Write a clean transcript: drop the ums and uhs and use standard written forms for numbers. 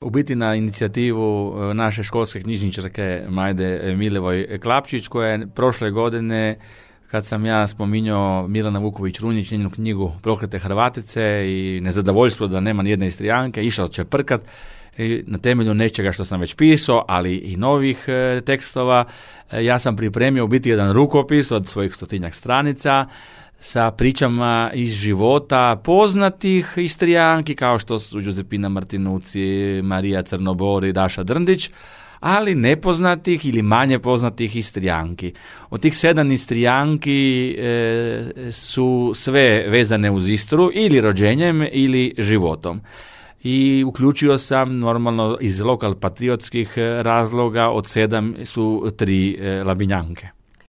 U biti na inicijativu naše školske knjižničarke Majde Milevoj Klapčić, koja je prošle godine, kad sam ja spominjao Milana Vuković-Runjić, njenu knjigu Proklete Hrvatice i nezadovoljstvo da nema nijedne Istrijanke, išao čeprkat na temelju nečega što sam već pisao, ali i novih tekstova. Ja sam pripremio u biti jedan rukopis od svojih 100-tinjak stranica sa pričama iz života poznatih Istrijanki, kao što su Giuseppina Martinucci, Marija Crnobori, Daša Drndić, ali nepoznatih ili manje poznatih Istrijanki. Od tih 7 Istrijanki su sve vezane uz Istru, ili rođenjem ili životom. I uključio sam normalno iz lokal patriotskih razloga, od 7 su 3 Labinjanke.